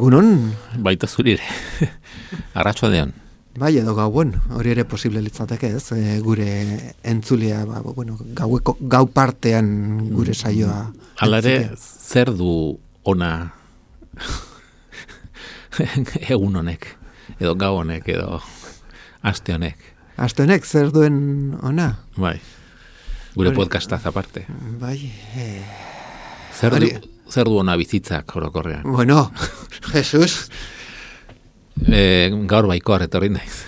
Egunon? Baita zurire. Arratsaldean. Bai, edo gauen, hori ere posible litzateke, ez? Gure entzulea, gau partean gure saioa. Hala ere, zer du ona egun honek, edo gau honek, edo aste honek? Aste honek, zer duen ona? Bai, gure podcastaz aparte. Bai, Zer du ona bizitzak orokorrean? Bueno, Jesus. Gaur baikoar etorri naiz.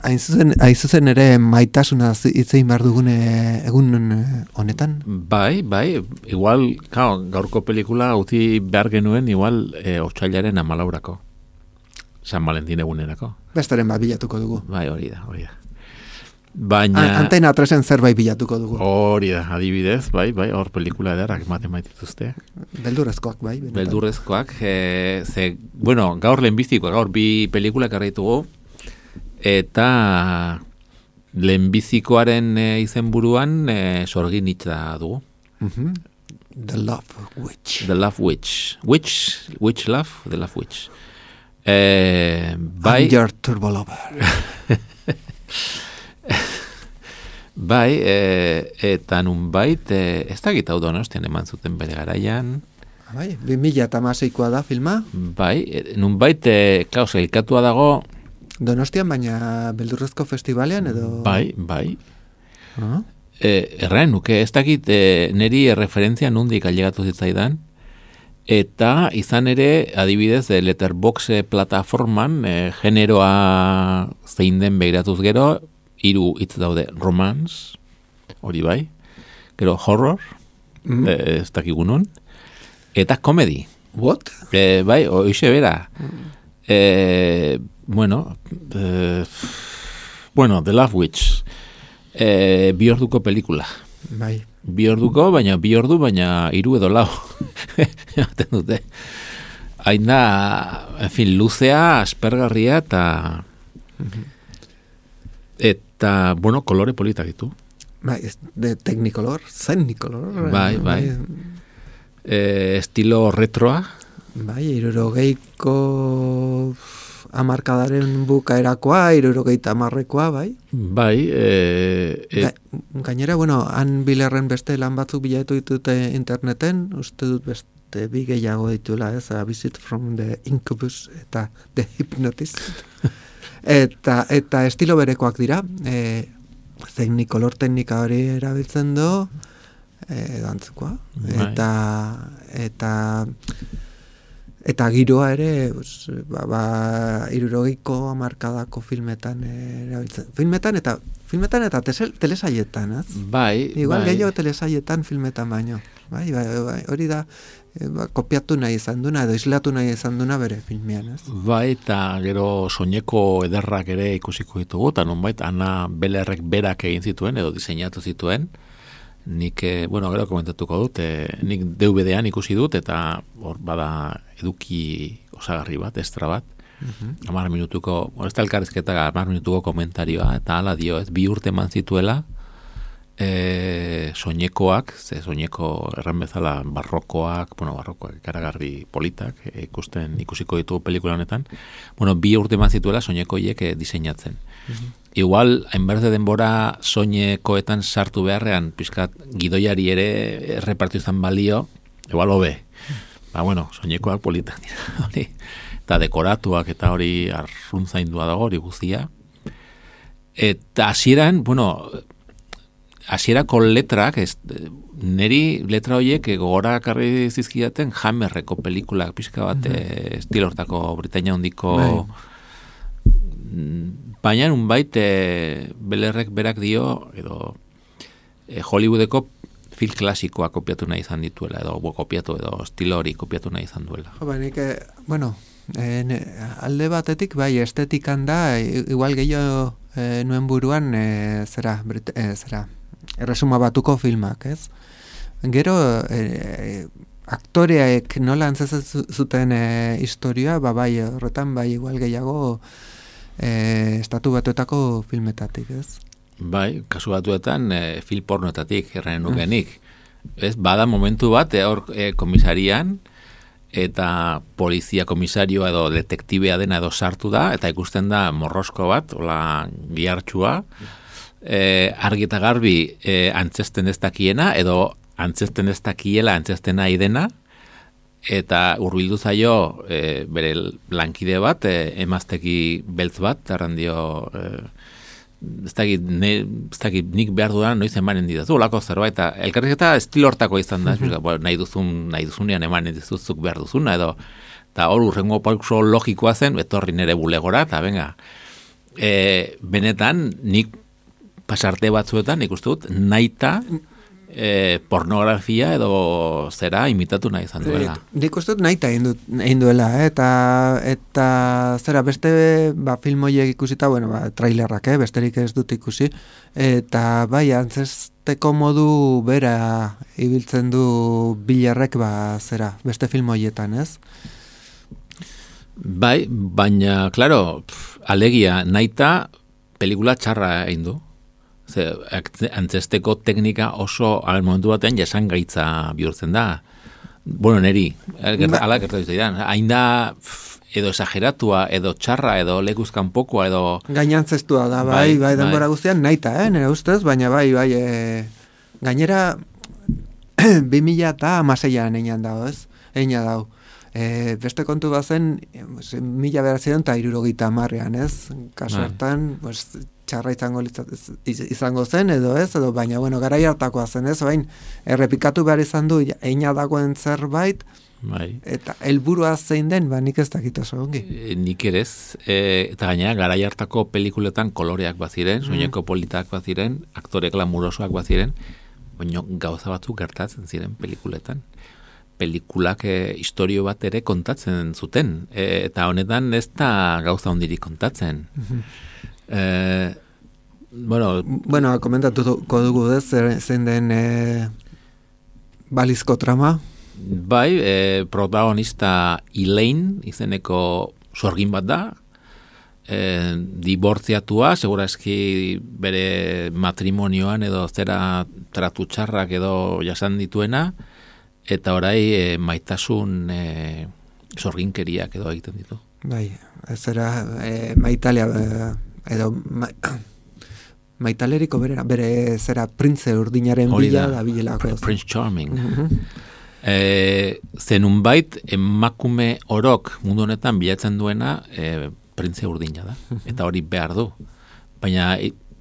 Hain zuzen ere maitasuna hitzein behar dugun egun honetan? Bai, igual, gaurko pelikula utzi behar genuen, igual, otsailaren 14 San Valentin egunerako. Bestaren bat bilatuko dugu. Bai, hori da. Baina... Antena 3en zerbait bilatuko dugu. Hori da, adibidez, bai, hor pelikula edarrak ematen baitituzte. Beldurrezkoak, bai. Benetan. Beldurrezkoak, gaur lehenbizikoak, gaur bi pelikulak arraitugu, eta lehenbizikoaren izenburuan sorgin hitza dugu. The Love Witch. The Love Witch. Witch Love? The Love Witch. I'm your turbo lover. Bai, eta nunbait, ez da gita Donostian eman zuten bere garaian. Bai, 2016koa da filma. Bai, nunbait, elkatua dago... Donostian, baina beldurrezko festivalean edo... Bai. Erraen nuke, ez dakit neri referentzia nundik ailegatu zitzaidan, eta izan ere, adibidez, Letterboxd plataforman, generoa zein den begiratuz gero, 3 hitz daude, romance, hori bai, gero horror, ez dakigunon, eta comedy. What? Bai, hoxe bera. Bueno, The Love Witch, 2 orduko pelikula. Bai. 2 orduko, baina 3 edo 4. Jaten dute. Hain da, en fin, luzea, aspergarria, eta, bueno, kolore politak ditu. Bai, de Technicolor, Zennicolor. Bai. Estilo retroa. Bai, 60ko hamarkadaren bukaerakoa, 70koa, bai. Bai. Gainera, bueno, han bilerren beste lan batzuk bilatu ditute interneten, uste dut beste bi gehiago dituela, ez, A Visit from the Incubus eta The Hypnotist. Eta estilo berekoak dira, Technicolor teknika hori erabiltzen du, gantzukoa, eta giroa ere, 60ko hamarkadako filmetan erabiltzen. Filmetan eta telesaietan, ez? Bai. Igual gehiago telesaietan filmetan baino. Bai, hori da, kopiatu nahi izan duna, edo islatu nahi izan duna bere filmean, ez? Bai, eta gero soineko ederrak ere ikusiko ditugu, eta nonbait, Ana Belerrek berak egin zituen, edo diseinatu zituen. Nik, gero komentatuko dut, nik DVD-an ikusi dut, eta hor bada eduki osagarri bat, estra bat. 10 minutuko, ez da elkarrizketa 10 minutuko komentarioa, eta hala dio, ez 2 urte eman zituela, soinekoak, soineko erran bezala barrokoak ikaragarri politak, ikusiko ditugu pelikula honetan, 2 urte eman zituela soinekoiek diseinatzen. Igual, hainberte denbora soinekoetan sartu beharrean, pizkat gidoiari ere repartu izan balio, igual hobe. Soinekoak politak dira, eta dekoratuak eta hori arruntzaindua dago, hori guztia. Eta hasieran, hasierako letrak, neri letra horiek gogora karri zizkidaten Hammerreko pelikulak pixka bat estilo hortako Britainia handiko baina unbait Belerrek berak dio edo Hollywoodeko film klasikoa kopiatu nahi izan dituela edo edo estilo hori kopiatu nahi izan duela. Alde batetik bai estetikan da igual gehiago nuen buruan erresuma batuko filmak, ez? Gero aktoreek nola antzezen zuten historia, bai horretan bai igual gehiago estatu batuetako filmetatik, ez? Bai, kasu batuetan film pornoetatik erranen nukenik. Ez, bada momentu bat, komisarian, eta polizia komisarioa edo detektibea dena edo sartu da, eta ikusten da morrosko bat, hola gihartxua, argi eta garbi antzesten ez dakiena, edo antzesten ez dakiela antzesten nahi dena, eta hurbildu zaio bere lankide bat, emazteki beltz bat, arrandio... ez dakit nik behar dudan noiz emanen didazu, olako zerbait, eta elkarrizketa estilo hortako izan da, nahi duzunean emanen dizuzuk behar duzuna, edo, eta hor urrengo pauso logikoa zen, etorri nere bulegora, eta venga, benetan, nik pasarte batzuetan, nik uste dut, nahita, pornografia edo zera imitatu nahi izan duela. Nik uste dut nahita egin duela, eta zera beste film horiek ikusita, bueno, trailerrak, besterik ez dut ikusi, eta bai, antzesteko modu bera ibiltzen du Billarrek, zera, beste film horietan, ez? Bai, baina, klaro, alegia, nahita pelikula txarra egin du. Antzesteko teknika oso al momentu batean jasangaitza bihurtzen da. Bueno, neri, ala gertatu zidan. Hain da edo exageratua, edo txarra, edo lekuzkan pokoa, edo... Gainantzestua da, bai, denbora guztian nahita, nire ustez, baina bai, gainera 2016an einan dago, ez? Eina dau. Beste kontu bazen, 1970an, ez? Kaso hartan, txarra izango zen, edo ez, edo baina, bueno, garai hartakoa zen, ez? Bain, errepikatu behar izan du, eina dagoen zerbait, eta helburua zein den, nik ez dakit oso ongi. Nik erez, eta gaina, garai hartako pelikuletan koloreak baziren, soineko politak baziren, aktore glamurosoak baziren, baina gauza batzuk gertatzen ziren pelikuletan. Pelikulak historio bat ere kontatzen zuten, eta honetan ez da gauza hondirik kontatzen. Bueno, komentatuko dugu zein den balizko trama. Bai, protagonista Elaine izeneko sorgin bat da, dibortziatua, segurazki bere matrimonioan edo zera tratu txarrak edo jasan dituena, eta orai maitasun sorginkeriak edo egiten ditu. Bai, ez era maitalia edo maitaleriko bere zera printze urdinaren bila da bilelako. Prince Charming. Zenunbait emakume orok mundu honetan bilatzen duena printze urdina da. Eta hori behar du. Baina...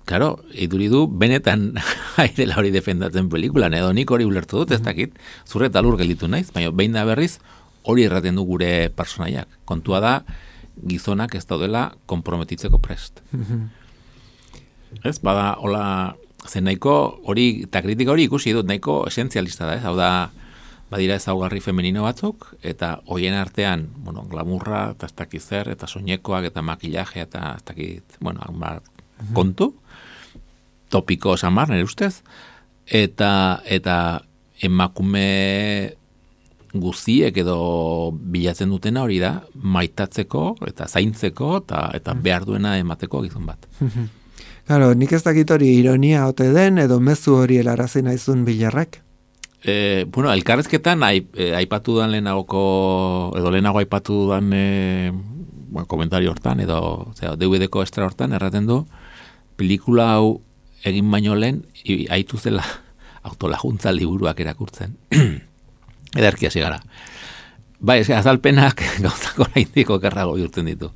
Claro, iduri du, benetan airela hori defendatzen pelikulan, edo nik hori ulertu dut, ez dakit, zurre eta lur gelditu naiz, baina behin da berriz, hori erraten du gure personaiak. Kontua da, gizonak ez daudela konprometitzeko prest. Ez, bada, hola, zen nahiko, hori, eta kritika hori ikusi dut, nahiko esentzialista da, ez, hau da, badira ezaugarri femenino batzuk, eta hoien artean, bueno, glamurra, eta ez dakit zer, eta soinekoak, eta makillaje, eta ez dakit, bueno, kontu, topiko samar, nire ustez, eta emakume guziek edo bilatzen dutena hori da, maitatzeko eta zaintzeko eta behar duena emateko gizon bat. Claro, nik ez dakit hori ironia ote den edo mezu hori helarazi naizun Billarrak? Bueno, elkarrezketan aipatu dan lehenago aipatu dan komentario hortan edo DVD-ko estra hortan erraten du pelikula hau egin baino lehen aitu zela autolaguntza liburuak erakurtzen. Ederki hasi gara. Bai, azalpenak gauzako oraindiko okerrago bihurtzen ditu.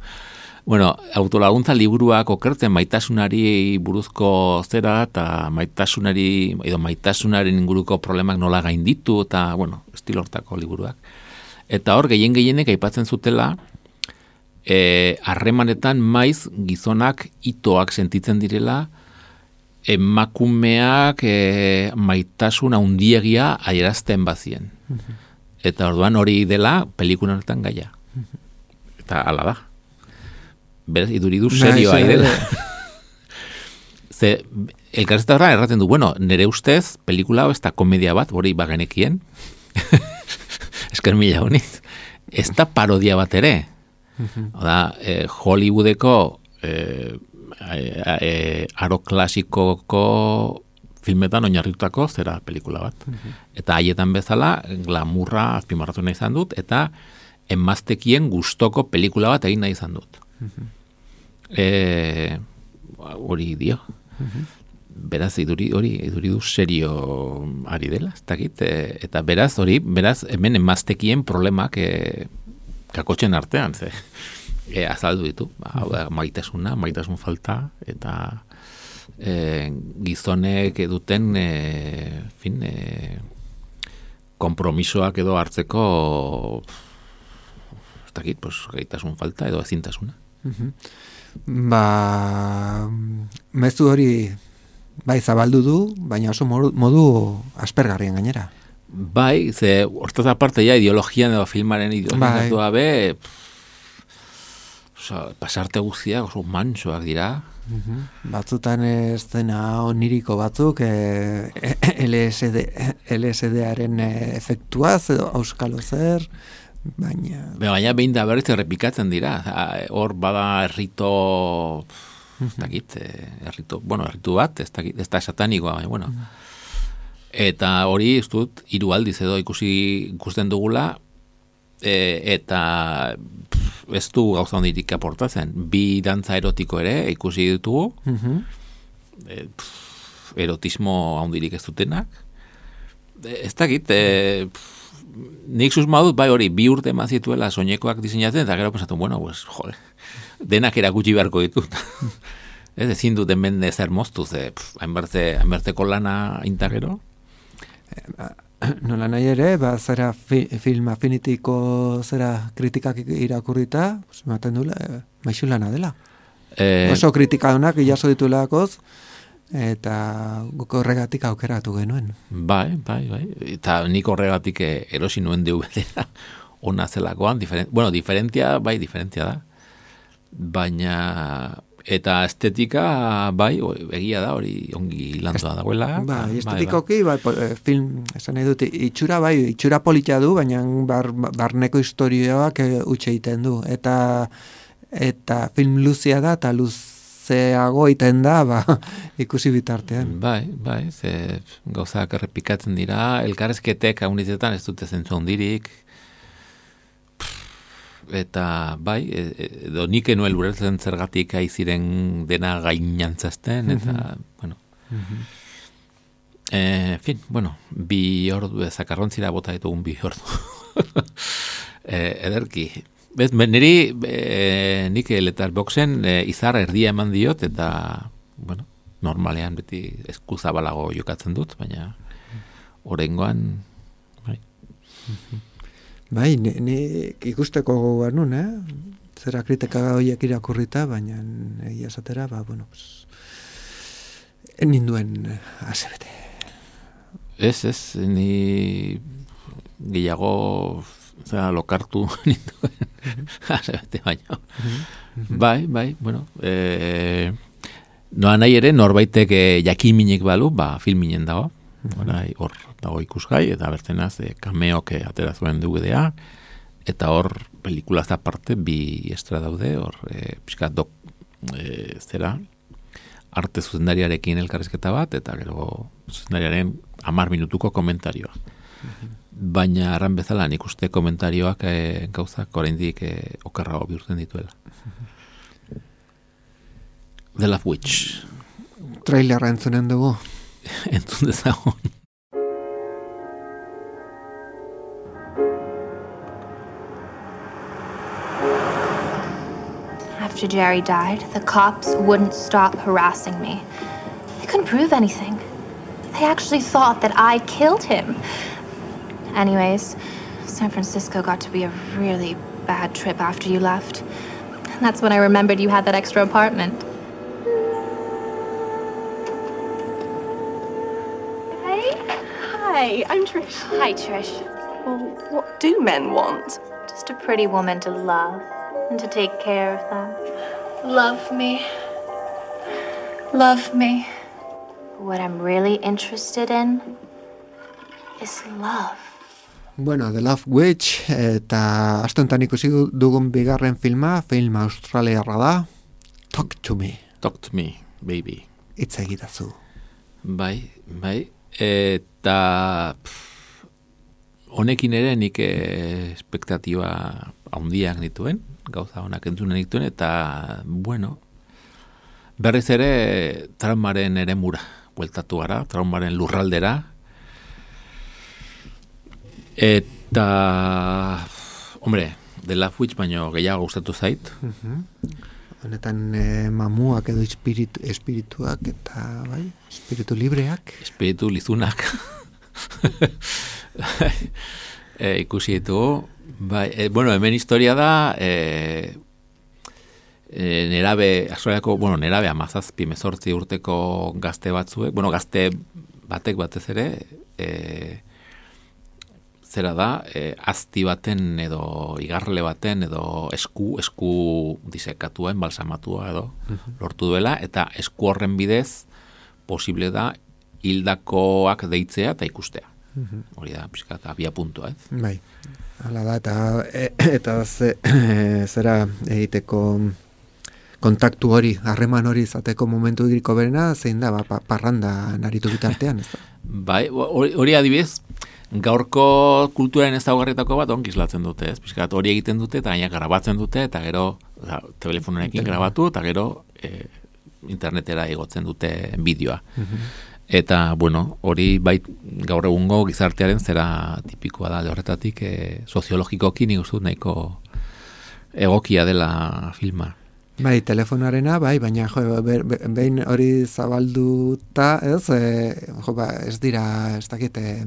Bueno, autolaguntza liburuak okertzen maitasunari buruzko zera eta maitasunaren inguruko problemak nola gainditu eta, bueno, estilo hortako liburuak. Eta hor, gehienek aipatzen zutela harremanetan maiz gizonak itoak sentitzen direla emakumeak maitasun handiegia adierazten bazien. Eta orduan hori dela pelikula honetan gaia. Eta hala da. Beraz, iduridu serioa dela. Ze, elkarrezta erraten du, bueno, nire ustez, pelikula hau ez da komedia bat, hori bagenekien. Esker mila honiz. Ez da parodia bat ere. Oda, Hollywoodeko aro klasikoko filmetan oinarritutako zera pelikula bat. Eta haietan bezala, glamurra azpimarratu nahi izan dut, eta emaztekien gustoko pelikula bat egin nahi izan dut. Hori dio. Beraz, iduri du serio ari dela, ez dakit, eta beraz, hemen emaztekien problemak kakotxen artean, azaldu ditu, maitasun falta, eta gizonek duten kompromisoak edo hartzeko ez dakit, gaitasun falta edo ezintasuna. Mezu hori bai zabaldu du, baina oso modu aspergarrien gainera. Bai, ze hortaz aparte ja ideologian edo filmaren ideologian gabe pasarte guztiak oso mansoak dira. Batzutan eszena oniriko batzuk LSD-aren efektuaz edo auskalo zer, baina behin da berriz errepikatzen dira. Hor bada errito ez dakit, erritu bat, ez da satanikoa, baina, bueno. Eta hori, ez dut, 3 aldiz edo ikusten dugula, eta ez du gauza hondirik aportatzen. 2 dantza erotiko ere ikusi ditugu, erotismo hondirik ez dutenak. Ez dakit, nik susma dut, bai hori, 2 urte mazituela soinekoak diseinatzen, eta gero pensatu, bueno, pues, jole, denak erakutsi beharko ditut. Ezin dut hemen ezer moztu, hainberteko lana intagero. Nola nahi ere, zera film Affinitiko zera kritikak irakurrita, ematen dula, maixu lana dela. Oso kritika honak jaso ditulakoz, eta guk horregatik aukeratu genuen. Bai. Eta nik horregatik erosi nuen DVD-a ona zelakoan, diferentia da. Baina eta estetika bai egia da hori ongi lantua dagoela. Bai, estetikoki film esan nahi dut itxura polita du, baina barneko historioak utxe egiten du eta film luzea da eta luzeago egiten da ikusi bitartean. Bai, ze gauzak errepikatzen dira, elkarrezketek haunizetan ez dute zentzu handirik. Eta bai, edo nik enuen ulertzen zergatik aiziren dena gainantzazten, eta, bueno. Fin, bueno, 2 ordu, zakarrontzira bota ditugun 2 ordu. Ederki. Niri, nik Letterboxen izar erdia eman diot, eta, bueno, normalean beti eskuzabalago jokatzen dut, baina oraingoan, bai. Bai, nik ikusteko gogoan nun, zera kritika horiek irakurrita, baina egia esatera, bueno, ninduen asebete. Ez, ni gehiago lokartu ninduen asebete baina. Bai, bueno, noa nahi ere norbaitek jakiminek balu, filminen dago. Hor dago ikusgai, eta bertenaz kameok atera zuen DVD-a, eta hor pelikulaz aparte 2 estra daude, hor pixkat zera arte zuzendariarekin elkarrizketa bat, eta gero zuzendariaren 10 minutuko komentarioa. Baina arran bezala nik uste komentarioak gauzak oraindik okerrago bihurtzen dituela. The Love Witch. Trailerra entzunen dugu. Entzun dezagun. After Jerry died, the cops wouldn't stop harassing me. They couldn't prove anything. They actually thought that I killed him. Anyways, San Francisco got to be a really bad trip after you left. And that's when I remembered you had that extra apartment. Hey, I'm Trish. Hi, Trish. Well, what do men want? Just a pretty woman to love and to take care of them. Love me. Love me. What I'm really interested in is love. Bueno, The Love Witch, eta astentan ikusi dugun bigarren film australiarra da. Talk to me. Talk to me, baby. Hitz egitazu. Bai. Eta honekin ere nik espektatiba handiak nituen, gauza honak entzunen nituen, eta, bueno, berriz ere traumaren ere mura, bueltatu gara, traumaren lurraldera, eta, hombre, The Love Witch baino gehiago gustatu zait. Honetan mamuak edo espirituak eta, bai, espiritu libreak. Espiritu lizunak. Ikusi ditugu. Bai, bueno, hemen historia da nerabe 17-18 urteko gazte batzuek, bueno, gazte batek batez ere, zera da, azti baten edo igarle baten edo esku disekatua, enbalsamatua edo lortu duela, eta esku horren bidez posible da hildakoak deitzea eta ikustea. Hori da, pixkat, abia puntua, ez? Bai, hala da, eta zera egiteko kontaktu hori, harreman hori izateko momentu iriko berena, zein da, parranda naritu bitartean, ez da? Bai, hori adibidez, gaurko kulturaren ezaugarrietako bat ongi islatzen dute, ez? Pixkat, hori egiten dute, eta gaina grabatzen dute, eta gero, telefonekin grabatu, eta gero internetera igotzen dute bideoa. Eta, bueno, hori bai gaur egungo gizartearen zera tipikoa da, horretatik soziologikoki nik uste dut nahiko egokia dela filma. Bai, telefonoarena, bai, baina behin hori zabalduta, ez, ez dira, ez dakite,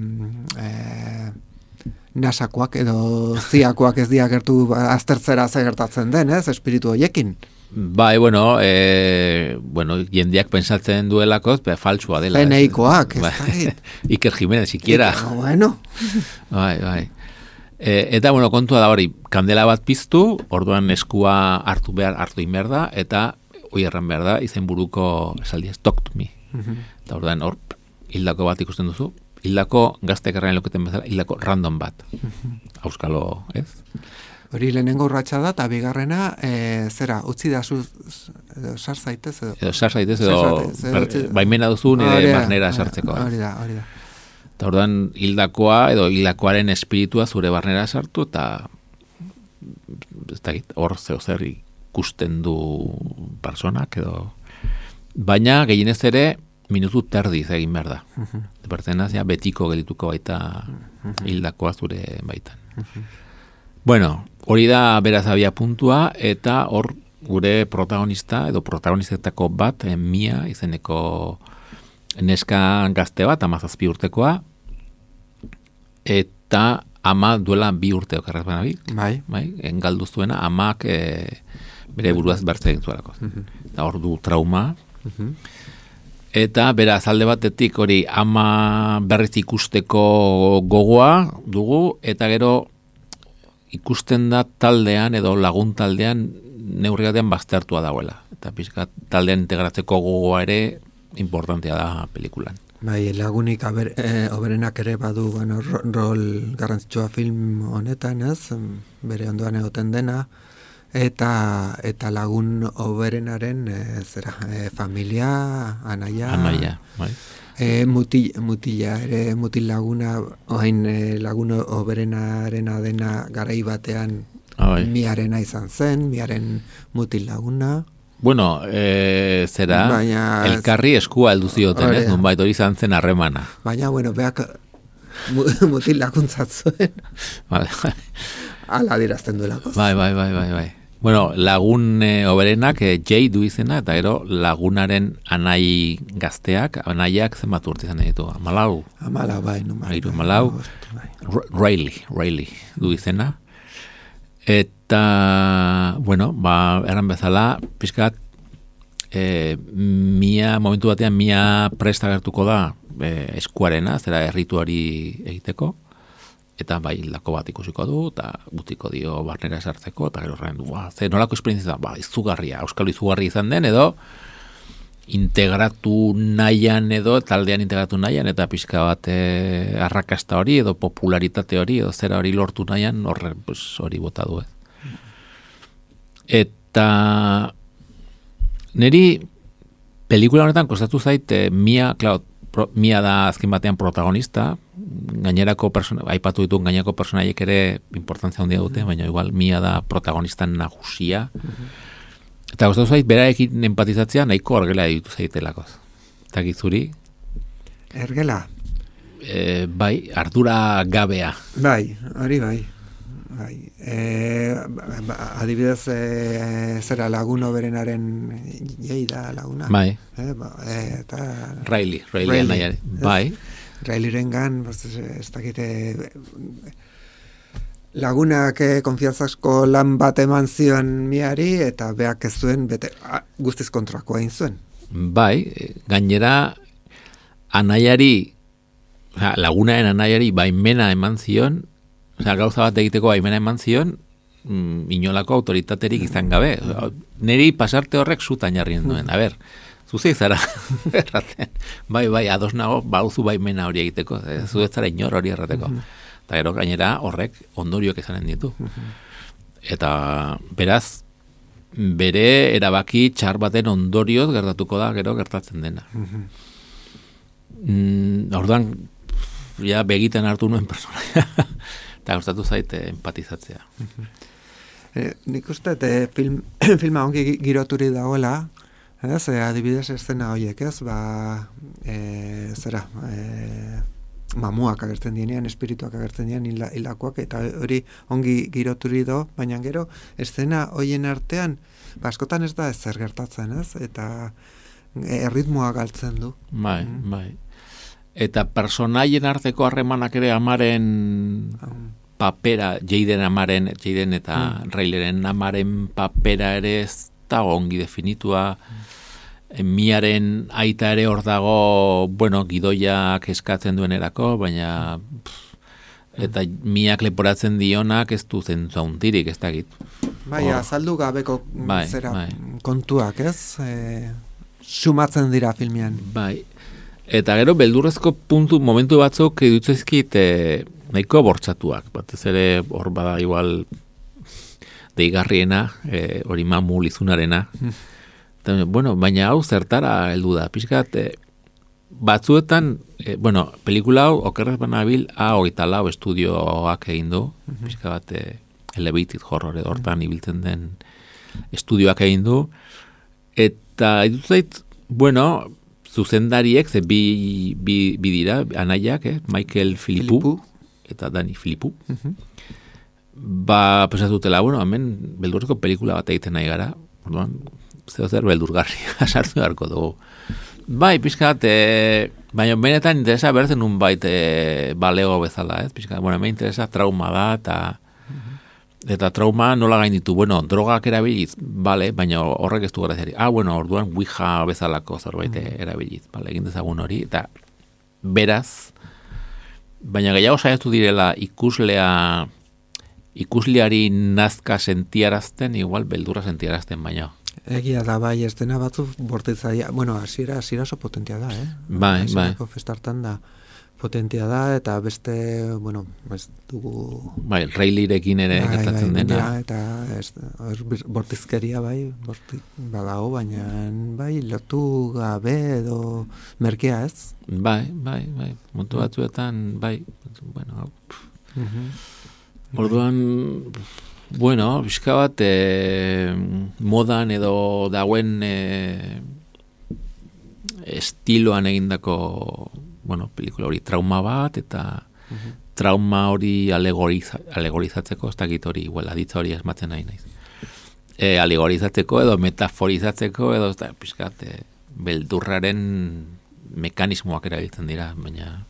nasakoak edo ziakoak ez diagertu aztertzera gertatzen den, ez, espiritu horiekin. Bai, bueno, jendeak pensatzen duelakoz, faltsua dela. Peneikoak, ez da. Iker Jimenez, sikiera. Bueno. Bai. Eta, bueno, kontua da hori, kandela bat piztu, orduan eskua hartu inber da, eta hoi erran behar da, izen buruko esaldiaz, talk to me. Eta orduan hor, hildako bat ikusten duzu, hildako gazteak errain loketen bezala, hildako random bat. Auskalo, ez? Hori lehenengo urratsa da, eta bigarrena, zera, utzi da sar zaitez edo baimena duzu nire barnera sartzeko. Hori da. Eta orduan hildakoa edo hildakoaren espiritua zure barnera sartu, eta hor zer ikusten du personak edo. Baina gehienez ere minutu terdiz egin behar da. Pertzenaz, ja, betiko gelituko baita hildakoa zure baitan. Bueno, hori da beraz abia puntua, eta hor gure protagonista edo protagonistetako bat, Mia izeneko neska gazte bat, 17 urtekoa, eta ama duela 2 urte okarraz baina bai, engaldu zuena, amak bere buruaz bertze egin zuelako. Eta hor du trauma, eta beraz alde batetik hori ama berriz ikusteko gogoa dugu, eta gero ikusten da taldean edo lagun taldean neurri batean baztertua dagoela. Eta pixka taldean integratzeko gogoa ere importantea da pelikulan. Bai, lagunik oberenak ere badu rol garrantzitsua film honetan, ez? Bere ondoan egoten dena, eta lagun oberenaren familia, anaia, bai. Mutila ere, mutil laguna, oain lagun oberenarena dena garai batean Miarena izan zen, Miaren mutil laguna. Bueno, zera, baina, elkarri eskua heldu zioten, ez? Nunbait hori izan zen harremana. Baina, bueno, beak mutil laguntzat zuen. Vale. Ala dirazten duelako. Bai. Bueno, lagun oberenak Jay du izena, eta gero lagunaren anai gazteak, anaiak zenbat urte izan ditu. Amalau, bai. Riley du izena. Eta, bueno, eran bezala, pixkat, momentu batean Mia presta gertuko da eskuarena, zera errituari egiteko, eta bai hildako bat ikusiko du, eta gutiko dio barnera sartzeko, eta gero horren du, ze nolako esperientzia da, izugarria, euskal izugarria izan den, edo integratu nahian edo, taldean integratu nahian, eta pixka bat arrakasta hori, edo popularitate hori, edo zera hori lortu nahian, hori bota du, Eta niri pelikula honetan kostatu zait, Mia, Mia da azken batean protagonista, gainerako aipatu dituen gainerako personaiek ere importantzia handia dute, baina igual Mia da protagonista nagusia. Eta gustatu zait berarekin empatizatzea nahiko argela ditu zaitelakoz. Eta gizuri? Ergela? Bai, ardura gabea. Bai, hori bai. Adibidez, zera Laguno berenaren jeida laguna. Bai. Eta Riley nahiare. Bai. Rileyrengan, ez dakite Lagunak konfiantzazko lan bat eman zion Miari, eta beak ez zuen, guztiz kontrakoa egin zuen. Bai, gainera anaiari, Lagunaren anaiari baimena eman zion, gauza bat egiteko baimena eman zion, inolako autoritaterik izan gabe. Neri pasarte horrek zutan jarrien duen. A ber, zuzik zara erraten. Bai, ados nago, bauzu baimena hori egiteko. Zuek zara inor hori errateko. Eta gero gainera horrek ondorioak izanen ditu. Eta beraz, bere erabaki txar baten ondorioz gertatuko da, gero gertatzen dena. Orduan, ja begiten hartu nuen personaia. Eta gustatu zaite empatizatzea. Nik uste, filma ongi giroturi dagoela, adibidez eszena horiek, mamuak agertzen dienean, espirituak agertzen dienean, hilakoak, eta hori ongi giroturi do, baina gero, eszena horien artean, askotan ez da ezer gertatzen, eta erritmoa galtzen du. Bai. Eta personaien arteko harremanak ere amaren papera, Jaden eta Rileyren amaren papera ere ez da ongi definitua. Miaren aita ere hor dago, gidoiak eskatzen duenerako, baina eta Miak leporatzen dionak ez du zentzu handirik, ez dakit. Bai, azaldu gabeko kontuak, ez? Sumatzen dira filmean. Bai. Eta gero beldurrezko momentu batzuk dutzaizkit nahiko bortxatuak. Batez ere hor bada igual deigarriena, hori mamu lizunarena. Baina hau zertara heldu da. Pixkat, batzuetan, pelikula hau okerrez banabil A24 estudioak egin du. Pixka bat, Elevated Horror edo hortan ibiltzen den estudioak egin du. Eta dut zuzendariek, bi dira, anaiak, Michael Philippou eta Danny Philippou. Pesatutela, hemen beldurreko pelikula bat egiten nahi gara, zer beldurgarria sartu beharko dugu. Bai, pixkat, baina benetan interesa bertzen un bait balego bezala, pixkat, me interesa trauma da, eta trauma nola gainditu, drogak erabiliz, baina horrek ez du graziari. Orduan Ouija bezalako zerbait erabiliz, egin dezagun hori, eta beraz, baina gehiago saiatu direla ikusleari nazka sentiarazten, igual beldurra sentiarazten baina. Egia da, bai, ez dena batzu bortitzaia, hasiera oso potentia da, Bai. Festartan da potentia da, eta beste, ez dugu... Bai, Rileyrekin ere gertatzen dena. Eta bortizkeria, badago, baina, lotu gabe edo merkea ez? Bai, montu batzuetan, orduan, bizka bat, modan edo dauen estiloan egindako pelikula hori trauma bat, eta trauma hori alegorizatzeko, ez dakit hori, aditza hori asmatzen nahi naiz. Alegorizatzeko edo metaforizatzeko edo pixkat beldurraren mekanismoak erabiltzen dira, baina...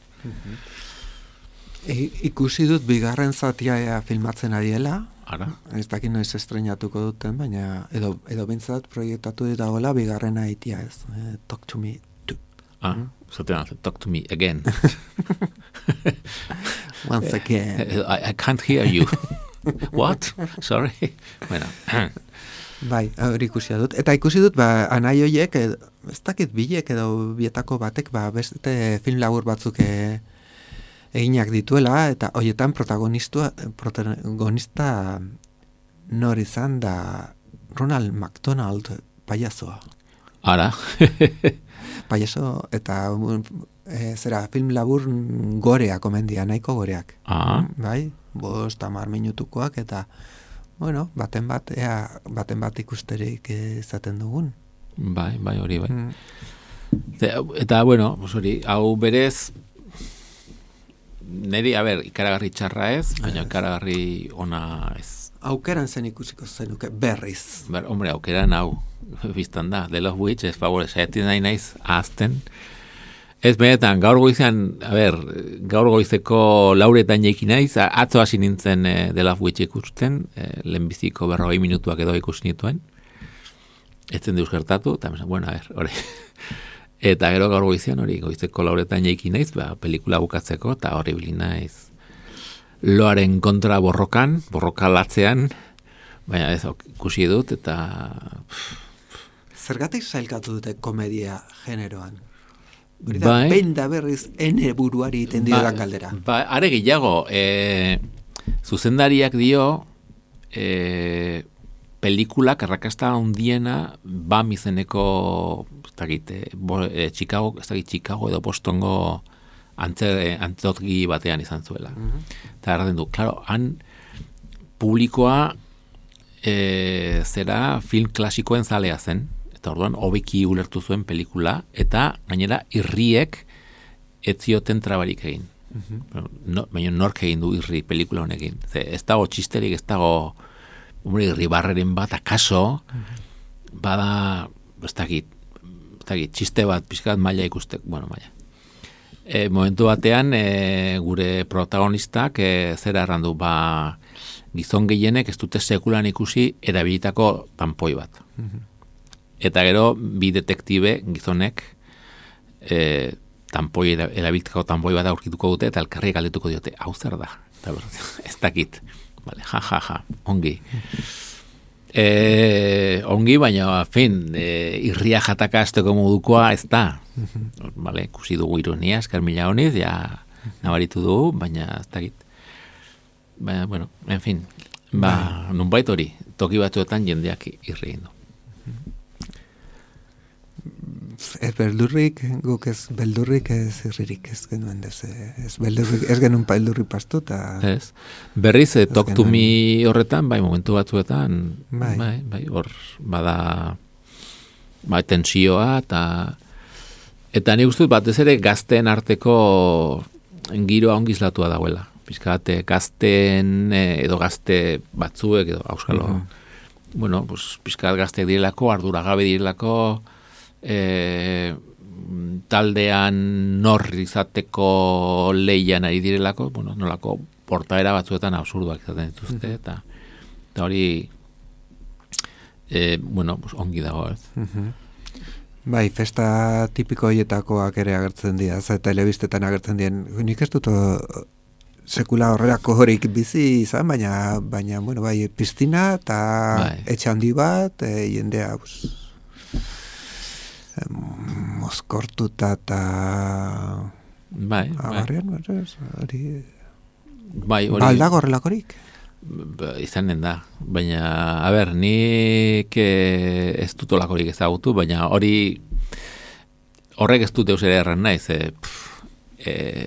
Ikusi dut bigarren zatia filmatzen ariela, Ara? Ez dakit noiz estrenatuko duten, baina edo bintzat proiektatu ditagoela bigarrena itia ez. Talk to me too. Talk to me again. Once again. I can't hear you. What? Sorry. Bueno. Bai, hori ikusi dut. Eta ikusi dut, anai hoiek, ez dakit bilek edo bietako batek, beste film labur batzuk eginak dituela, eta horietan protagonista nor izan da Ronald McDonald payasoa. Ara. Payaso, eta zera film labur goreak omendia, nahiko goreak. Bai, 5-10 minutukoak eta bueno, baten bat ikusterik izaten dugun. Bai, hori bai. Eta bueno, hori, hau berez neri, ikaragarri txarra ez, baina ikaragarri ona ez. Aukeran zen ikusiko zenuke, berriz. Hombre, aukeran hau, biztan da, The Love Witch, ez favore, saiatzen nahi naiz ahazten. Ez benetan, gaur goizeko lauretan jeiki naiz, atzo hasi nintzen The Love Witch ikusten, lehenbiziko 40 minutuak edo ikusi nituen, etzen deus gertatu, eta bueno, hori. Eta gero gaur goizean hori, goizeko lauretan jeiki naiz, pelikula bukatzeko, eta hori bilin naiz. Loaren kontra borroka latzean, baina ez ikusi dut, eta... Zergatik sailkatu dute komedia generoan? Bai. Benda berriz ene buruari iten diodan galdera. Are gehiago, zuzendariak dio pelikulak arrakasta handiena BAM izeneko Chicago edo Bostongo antzoki batean izan zuela. Eta erraten du, klaro, han publikoa zera film klasikoen zalea zen, eta orduan hobeki ulertu zuen pelikula, eta gainera irriek ez zioten trabarik egin. Baina nork egin du irri pelikula honekin. Ez dago txisterik, ez dago irri barreren bat, akaso, bada, ez dakit, txiste bat, pixkat maila ikustek, maila. Momentu batean, gure protagonistak zera errandu, gizon gehienek ez dute sekulan ikusi erabilitako tanpoi bat. Eta gero, bi detektibe gizonek erabiltako tanpoi bat aurkituko dute, eta elkarri galdetuko diote, hau zer da? Ez dakit. Vale, ja, ongi. Ongi, baina, irria jataka azteko modukoa ez da. Vale, ikusi dugu ironia, eskarmila honiz, ja nabaritu dugu, baina ez dakit. Baina, bueno, en fin, nunbait hori, toki batzuetan jendeak irri du. Ez beldurrik, guk ez beldurrik, ez irririk, ez genuen ez beldurrik, ez genuen beldurrik pastu, eta... Ez, berriz, Talk to Me horretan, momentu batzuetan, hor, bada, tensioa, eta nik uste batez ere gazteen arteko giroa ongizlatua dagoela. Pizkat, gazteen, edo gazte batzuek, edo auskalo, bueno, pizkat gazteek direlako, arduragabe direlako, taldean nor izateko leian ari direlako, nolako portaera batzuetan absurduak izaten dituzte, eta hori ongi dago, ez? Bai, festa tipiko hietakoak ere agertzen dira, eta telebistetan agertzen diren, nik ez dut sekula horrelako horik bizi izan, baina bai, piztina eta etxe handi bat, jendea, mozkortuta eta abarrian, hori baldago horrelakorik? Izanen da, baina nik ez dut olakorik ezagutu, baina horrek ez dut eusera erran naiz,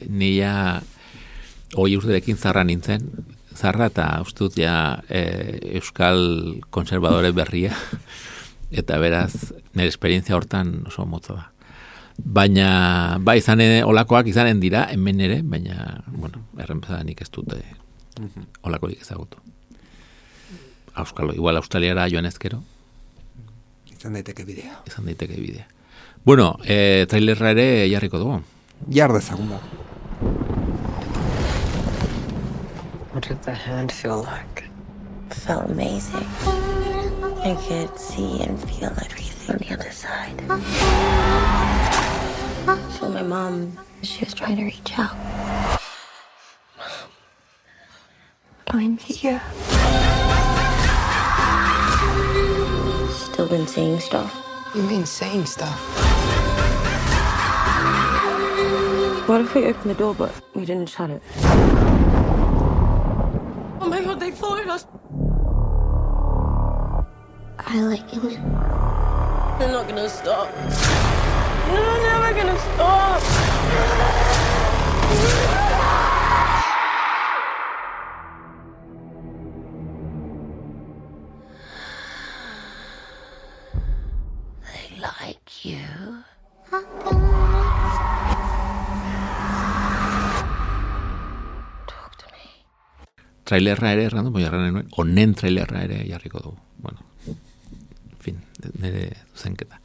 nila 20 urterekin zarra nintzen, eta ustut ja euskal konservadore berria, eta beraz, nire esperientzia hortan oso motza da. Baina, olakoak izanen dira, hemen ere, baina, errenpezanik ez dute olakorik ezagutu. Igual Australiara joan ezkero. Izan daiteke bidea. Bueno, trailerra ere jarriko dugu. Jar dezagun da. What did the hand feel like? It felt amazing. I could see and feel everything on the other side. So my mom, she was trying to reach out. I'm here. Still been saying stuff. You mean saying stuff? What if we opened the door but we didn't shut it? Oh my God, they followed us. I like it. They're not gonna stop. You're never gonna stop. They like you. Talk to me. Trailerra ere errandu, jarran nuen, honen trailerra ere jarriko dugu. Bueno, en fin, nire zuzenketa.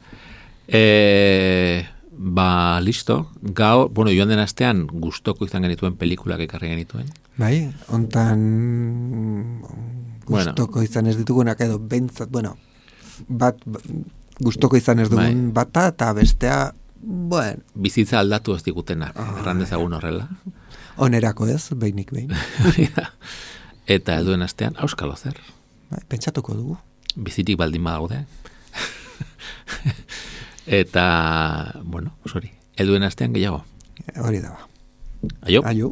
Ba, listo. Gaur, bueno, joan den astean gustoko izan genituen pelikulak ekarri genituen. Bai, hontan gustoko izan ez ditugunak edo bentsat, bueno, bat gustoko izan ez dugun bata eta bestea, bueno. Bizitza aldatu ez digutenak, erran dezagun horrela. Onerako ez, behinik behin. Eta helduen astean, auskalo zer. Bai, pentsatuko dugu. Bizitik baldin badaude. Eta, bueno, helduen astean gehiago. Hori da ba. Aio. Aio.